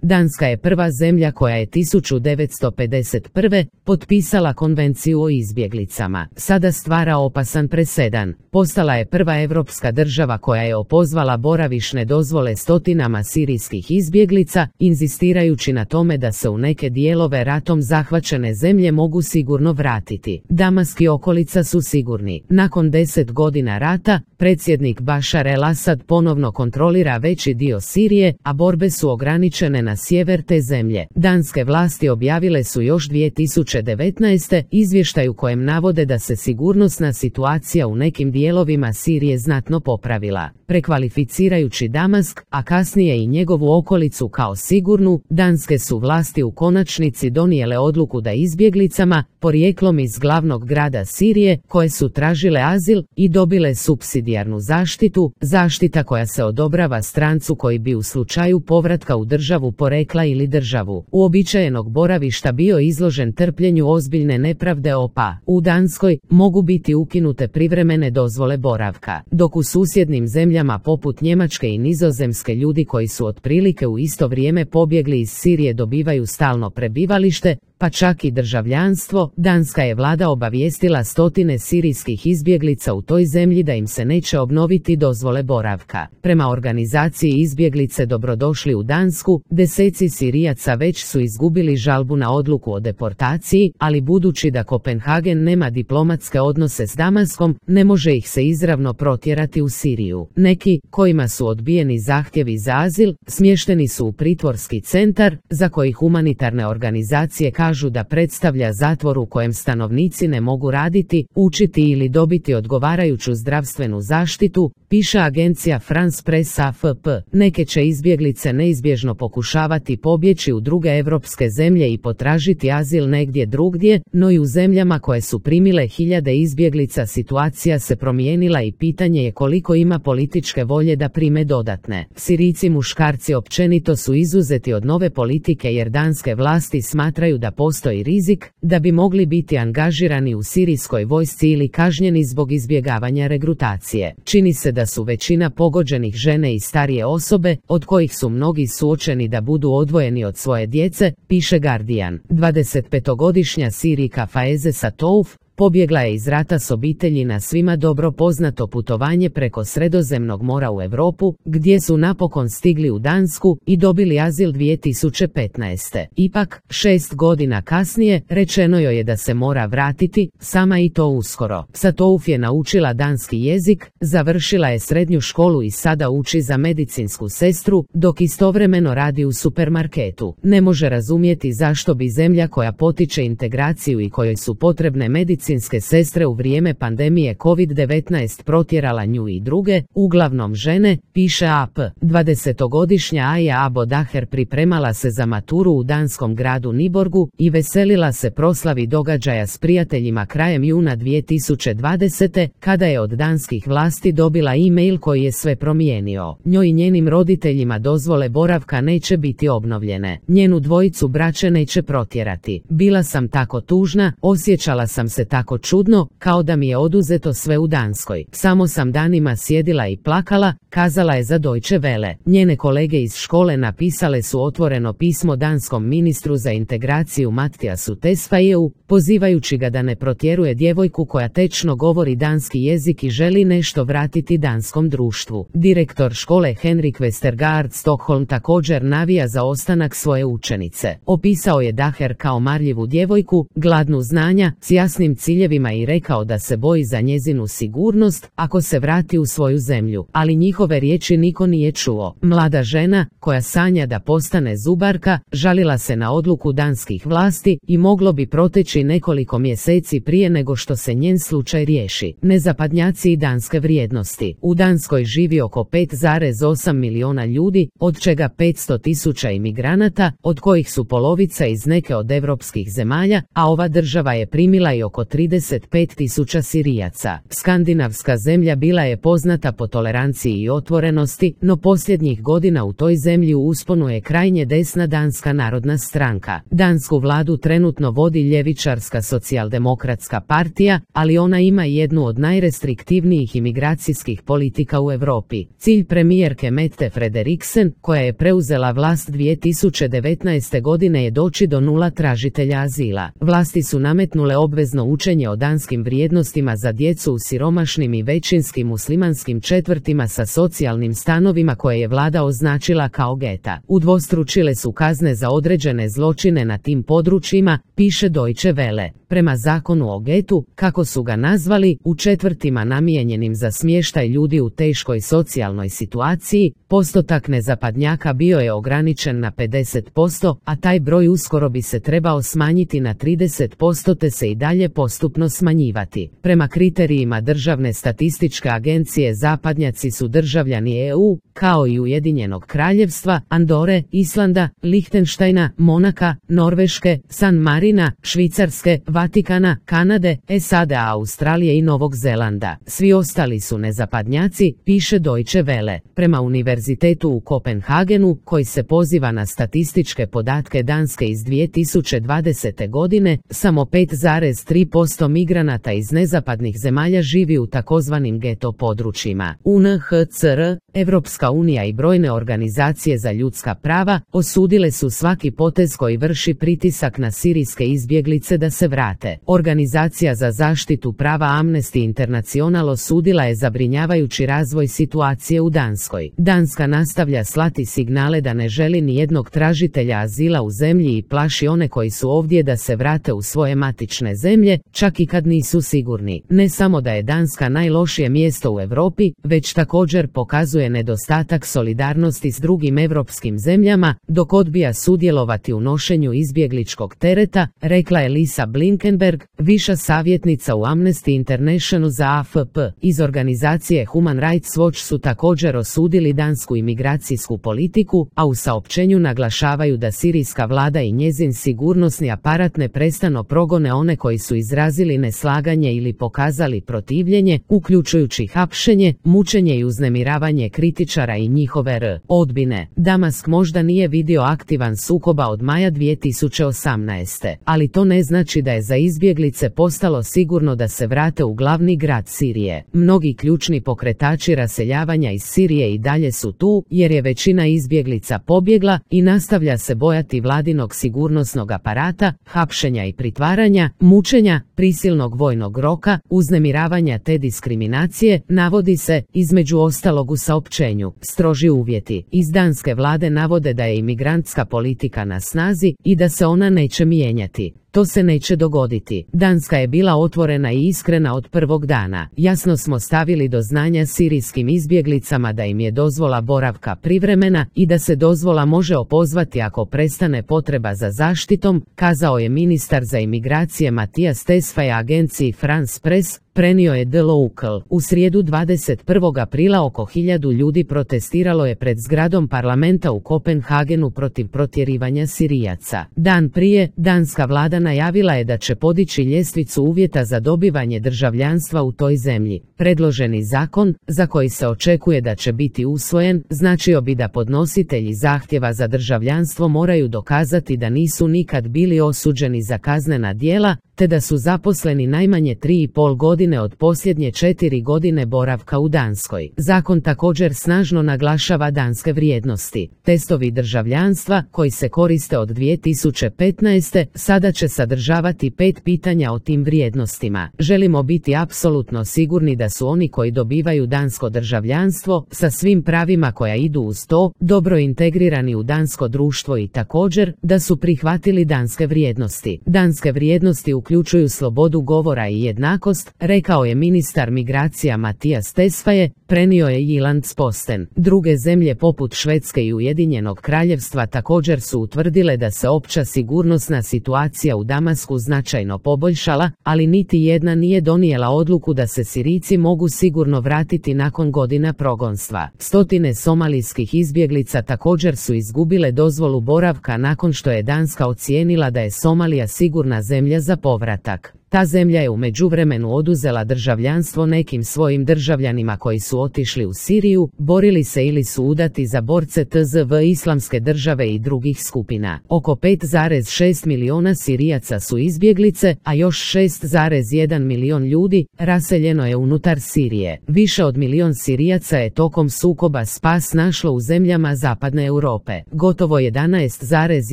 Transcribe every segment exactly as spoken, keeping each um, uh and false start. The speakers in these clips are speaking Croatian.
Danska je prva zemlja koja je tisuću devetsto pedeset prve potpisala konvenciju o izbjeglicama. Sada stvara opasan presedan. Postala je prva europska država koja je opozvala boravišne dozvole stotinama sirijskih izbjeglica, inzistirajući na tome da se u neke dijelove ratom zahvaćene zemlje mogu sigurno vratiti. Damask i okolica su sigurni. Nakon deset godina rata, predsjednik Bašar el-Asad ponovno kontrolira veći dio Sirije, a borbe su ograničene na sjever te zemlje. Danske vlasti objavile su još dvije tisuće devetnaeste izvještaj u kojem navode da se sigurnosna situacija u nekim dijelovima Sirije znatno popravila. Prekvalificirajući Damask, a kasnije i njegovu okolicu kao sigurnu, danske su vlasti u konačnici donijele odluku da izbjeglicama, porijeklom iz glavnog grada Sirije, koje su tražile azil i dobile supsidijarnu zaštitu, zaštita koja se odobrava strancu koji bi u slučaju povratka u državu porekla ili državu uobičajenog boravišta bio izložen trpljenju ozbiljne nepravde opa. U Danskoj mogu biti ukinute privremene dozvole boravka, dok u susjednim zemljama poput Njemačke i Nizozemske ljudi koji su otprilike u isto vrijeme pobjegli iz Sirije dobivaju stalno prebivalište, pa čak i državljanstvo. Danska je vlada obavijestila stotine sirijskih izbjeglica u toj zemlji da im se neće obnoviti dozvole boravka. Prema organizaciji Izbjeglice dobrodošli u Dansku, deseci Sirijaca već su izgubili žalbu na odluku o deportaciji, ali budući da Kopenhagen nema diplomatske odnose s Damaskom, ne može ih se izravno protjerati u Siriju. Neki, kojima su odbijeni zahtjevi za azil, smješteni su u pritvorski centar, za koji humanitarne organizacije kažu da predstavlja zatvor u kojem stanovnici ne mogu raditi, učiti ili dobiti odgovarajuću zdravstvenu zaštitu, piše agencija France Press A F P. Neke će izbjeglice neizbježno pokušavati pobjeći u druge europske zemlje i potražiti azil negdje drugdje, no i u zemljama koje su primile hiljade izbjeglica situacija se promijenila i pitanje je koliko ima političke volje da prime dodatne. Sirijci muškarci općenito su izuzeti od nove politike jer danske vlasti smatraju da postoji rizik da bi mogli biti angažirani u sirijskoj vojsci ili kažnjeni zbog izbjegavanja regrutacije. Čini se da su većina pogođenih žene i starije osobe, od kojih su mnogi suočeni da budu odvojeni od svoje djece, piše Guardian. dvadesetpetogodišnja Sirijka Faize Satouf pobjegla je iz rata s obitelji na svima dobro poznato putovanje preko Sredozemnog mora u Europu, gdje su napokon stigli u Dansku i dobili azil dvije tisuće petnaeste. Ipak, šest godina kasnije, rečeno joj je da se mora vratiti, sama i to uskoro. Satouf je naučila danski jezik, završila je srednju školu i sada uči za medicinsku sestru, dok istovremeno radi u supermarketu. Ne može razumjeti zašto bi zemlja koja potiče integraciju i kojoj su potrebne medicinske medicinske sestre u vrijeme pandemije kovid devetnaest protjerala nju i druge, uglavnom žene, piše A P. dvadesetogodišnja Aja Abodaher pripremala se za maturu u danskom gradu Niborgu i veselila se proslavi događaja s prijateljima krajem juna dvije tisuće dvadesete. kada je od danskih vlasti dobila e-mail koji je sve promijenio. Njoj i njenim roditeljima dozvole boravka neće biti obnovljene. Njenu dvojicu braće neće protjerati. Bila sam tako tužna, osjećala sam se tako čudno, kao da mi je oduzeto sve u Danskoj. Samo sam danima sjedila i plakala, kazala je za Deutsche Welle. Njene kolege iz škole napisale su otvoreno pismo danskom ministru za integraciju Mattiasu Tesfayeu, pozivajući ga da ne protjeruje djevojku koja tečno govori danski jezik i želi nešto vratiti danskom društvu. Direktor škole Henrik Westergaard Stockholm također navija za ostanak svoje učenice. Opisao je Daher kao marljivu djevojku, gladnu znanja, s jasnim ciljevima i rekao da se boji za njezinu sigurnost ako se vrati u svoju zemlju. Ali njihove riječi niko nije čuo. Mlada žena, koja sanja da postane zubarka, žalila se na odluku danskih vlasti i moglo bi proteći nekoliko mjeseci prije nego što se njen slučaj riješi. Nezapadnjaci i danske vrijednosti. U Danskoj živi oko pet zarez osam miliona ljudi, od čega petsto tisuća imigranata, od kojih su polovica iz neke od europskih zemalja, a ova država je primila i oko tri trideset pet tisuća Sirijaca. Skandinavska zemlja bila je poznata po toleranciji i otvorenosti, no posljednjih godina u toj zemlji u usponu je krajnje desna Danska narodna stranka. Dansku vladu trenutno vodi ljevičarska socijaldemokratska partija, ali ona ima jednu od najrestriktivnijih imigracijskih politika u Europi. Cilj premijerke Mette Frederiksen, koja je preuzela vlast dvije tisuće devetnaeste. godine, je doći do nula tražitelja azila. Vlasti su nametnule obvezno učenje o danskim vrijednostima za djecu u siromašnim i većinski muslimanskim četvrtima sa socijalnim stanovima koje je vlada označila kao geta. Udvostručile su kazne za određene zločine na tim područjima, piše Deutsche Welle. Prema zakonu o getu, kako su ga nazvali, u četvrtima namijenjenim za smještaj ljudi u teškoj socijalnoj situaciji, postotak nezapadnjaka bio je ograničen na pedeset posto, a taj broj uskoro bi se trebao smanjiti na trideset posto te se i dalje postupno smanjivati. Prema kriterijima Državne statističke agencije zapadnjaci su državljani E U, kao i Ujedinjenog kraljevstva, Andore, Islanda, Lihtenštajna, Monaka, Norveške, San Marina, Švicarske, Vatikana, Kanade, S A D, Australije i Novog Zelanda. Svi ostali su nezapadnjaci, piše Deutsche Welle. Prema univerzitetu u Kopenhagenu, koji se poziva na statističke podatke Danske iz dvije tisuće dvadesete. godine, samo pet zarez tri posto migranata iz nezapadnih zemalja živi u takozvanim geto područjima. U N H C R, Evropska unija i brojne organizacije za ljudska prava osudile su svaki potez koji vrši pritisak na sirijske izbjeglice da se vrate. Organizacija za zaštitu prava Amnesty International osudila je zabrinjavajući razvoj situacije u Danskoj. Danska nastavlja slati signale da ne želi ni jednog tražitelja azila u zemlji i plaši one koji su ovdje da se vrate u svoje matične zemlje, čak i kad nisu sigurni. Ne samo da je Danska najlošije mjesto u Europi, već također pokazuje nedostatak solidarnosti s drugim europskim zemljama, dok odbija sudjelovati u nošenju izbjegličkog tereta, rekla je Lisa Blinkenberg, viša savjetnica u Amnesty International za A F P. Iz organizacije Human Rights Watch su također osudili dansku imigracijsku politiku, a u saopćenju naglašavaju da sirijska vlada i njezin sigurnosni aparat neprestano progone one koji su izrazili neslaganje ili pokazali protivljenje, uključujući hapšenje, mučenje i uznemiravanje kritičara i njihove r. odbine. Damask možda nije vidio aktivan sukoba od maja dvije tisuće osamnaeste. ali to ne znači da je za izbjeglice postalo sigurno da se vrate u glavni grad Sirije. Mnogi ključni pokretači raseljavanja iz Sirije i dalje su tu, jer je većina izbjeglica pobjegla i nastavlja se bojati vladinog sigurnosnog aparata, hapšenja i pritvaranja, mučenja, prisilnog vojnog roka, uznemiravanja te diskriminacije, navodi se, između ostalog u saopćenju. Stroži uvjeti iz danske vlade navode da je imigrantska politika na snazi i da se ona neće mijenjati. To se neće dogoditi. Danska je bila otvorena i iskrena od prvog dana. Jasno smo stavili do znanja sirijskim izbjeglicama da im je dozvola boravka privremena i da se dozvola može opozvati ako prestane potreba za zaštitom, kazao je ministar za imigracije Matijas Tesfaye agenciji France Press, prenio je The Local. U srijedu dvadeset prvog aprila oko hiljadu ljudi protestiralo je pred zgradom parlamenta u Kopenhagenu protiv protjerivanja Sirijaca. Dan prije, danska vlada najavila je da će podići ljestvicu uvjeta za dobivanje državljanstva u toj zemlji. Predloženi zakon, za koji se očekuje da će biti usvojen, značio bi da podnositelji zahtjeva za državljanstvo moraju dokazati da nisu nikad bili osuđeni za kaznena djela, te da su zaposleni najmanje tri i pol godine od posljednje četiri godine boravka u Danskoj. Zakon također snažno naglašava danske vrijednosti. Testovi državljanstva, koji se koriste od dvije tisuće petnaeste. sada će sadržavati pet pitanja o tim vrijednostima. Želimo biti apsolutno sigurni da su oni koji dobivaju dansko državljanstvo, sa svim pravima koja idu uz to, dobro integrirani u dansko društvo i također, da su prihvatili danske vrijednosti. Danske vrijednosti uključuju slobodu govora i jednakost, rekao je ministar migracija Matijas Tesfaye, prenio je Jyllands-Posten. Druge zemlje poput Švedske i Ujedinjenog kraljevstva također su utvrdile da se opća sigurnosna situacija u Damasku značajno poboljšala, ali niti jedna nije donijela odluku da se Sirijci mogu sigurno vratiti nakon godina progonstva. Stotine somalijskih izbjeglica također su izgubile dozvolu boravka nakon što je Danska ocijenila da je Somalija sigurna zemlja za povratak. Ta zemlja je u međuvremenu oduzela državljanstvo nekim svojim državljanima koji su otišli u Siriju, borili se ili su udati za borce T Z V Islamske države i drugih skupina. Oko pet zarez šest miliona Sirijaca su izbjeglice, a još šest zarez jedan milion ljudi raseljeno je unutar Sirije. Više od milion Sirijaca je tokom sukoba spas našlo u zemljama zapadne Europe. Gotovo jedanaest zarez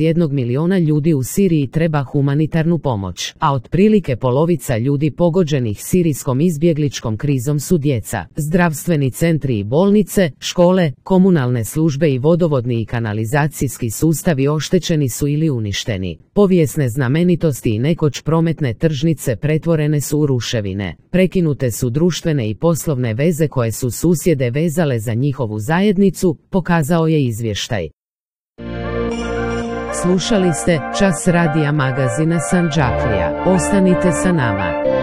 jedan miliona ljudi u Siriji treba humanitarnu pomoć, a otprilike polovica ljudi pogođenih sirijskom izbjegličkom krizom su djeca. Zdravstveni centri i bolnice, škole, komunalne službe i vodovodni i kanalizacijski sustavi oštećeni su ili uništeni. Povijesne znamenitosti i nekoć prometne tržnice pretvorene su u ruševine. Prekinute su društvene i poslovne veze koje su susjede vezale za njihovu zajednicu, pokazao je izvještaj. Slušali ste Čas radija magazina Sandžaklija. Ostanite sa nama.